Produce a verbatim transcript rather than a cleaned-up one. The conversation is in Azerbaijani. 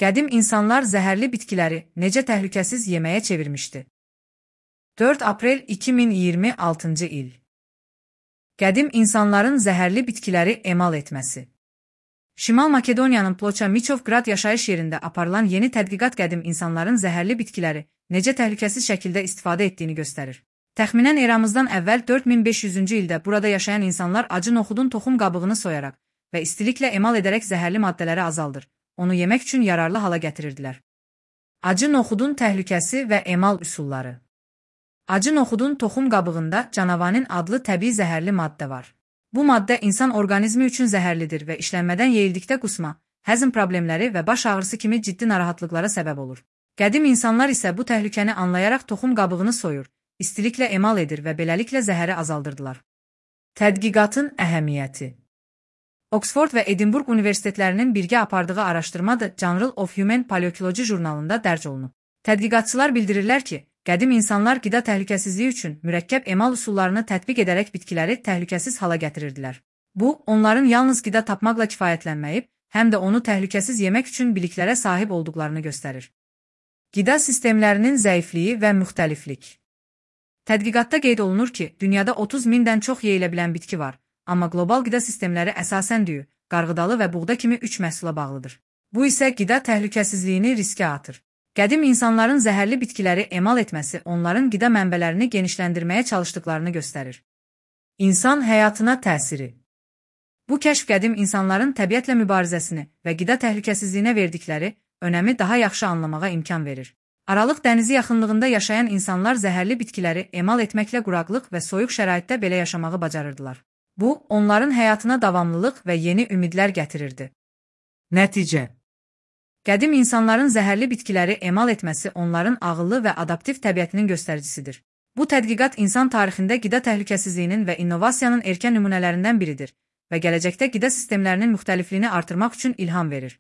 Qədim insanlar zəhərli bitkiləri necə təhlükəsiz yeməyə çevirmişdi? dörd aprel iki min iyirmi altıncı il. Qədim insanların zəhərli bitkiləri emal etməsi. Şimal Makedoniyanın Ploça Miçovgrad yaşayış yerində aparılan yeni tədqiqat qədim insanların zəhərli bitkiləri necə təhlükəsiz şəkildə istifadə etdiyini göstərir. Təxminən eramızdan əvvəl dörd min beş yüzüncü ildə burada yaşayan insanlar acı noxudun toxum qabığını soyaraq və istiliklə emal edərək zəhərli maddələri azaldır, onu yemək üçün yararlı hala gətirirdilər. Acı noxudun təhlükəsi və emal üsulları. Acı noxudun toxum qabığında canavanin adlı təbii zəhərli maddə var. Bu maddə insan orqanizmi üçün zəhərlidir və işlənmədən yeyildikdə qusma, həzm problemləri və baş ağrısı kimi ciddi narahatlıqlara səbəb olur. Qədim insanlar isə bu təhlükəni anlayaraq toxum qabığını soyur, istiliklə emal edir və beləliklə zəhəri azaldırdılar. Tədqiqatın əhəmiyyəti. Oxford və Edinburgh universitetlərinin birgə apardığı araşdırma The Journal of Human Paleontology jurnalında dərc olunub. Tədqiqatçılar bildirirlər ki, qədim insanlar qida təhlükəsizliyi üçün mürəkkəb emal üsullarını tətbiq edərək bitkiləri təhlükəsiz hala gətirirdilər. Bu, onların yalnız qida tapmaqla kifayətlənməyib, həm də onu təhlükəsiz yemək üçün biliklərə sahib olduqlarını göstərir. Qida sistemlərinin zəifliyi və müxtəliflik. Tədqiqatda qeyd olunur ki, dünyada otuz mindən çox yeyilə bilən bitki var, amma qlobal qida sistemləri əsasən düyü, qarğıdalı və buğda kimi üç məhsula bağlıdır. Bu isə qida təhlükəsizliyini riskə atır. Qədim insanların zəhərli bitkiləri emal etməsi onların qida mənbələrini genişləndirməyə çalışdıqlarını göstərir. İnsan həyatına təsiri. Bu kəşf qədim insanların təbiətlə mübarizəsini və qida təhlükəsizliyinə verdikləri önəmi daha yaxşı anlamağa imkan verir. Aralıq dənizi yaxınlığında yaşayan insanlar zəhərli bitkiləri emal etməklə quraqlıq və soyuq şəraitdə belə yaşamağı bacarırdılar. Bu, onların həyatına davamlılıq və yeni ümidlər gətirirdi. Nəticə. Qədim insanların zəhərli bitkiləri emal etməsi onların ağıllı və adaptiv təbiətinin göstəricisidir. Bu tədqiqat insan tarixində qida təhlükəsizliyinin və innovasiyanın erkən nümunələrindən biridir və gələcəkdə qida sistemlərinin müxtəlifliyini artırmaq üçün ilham verir.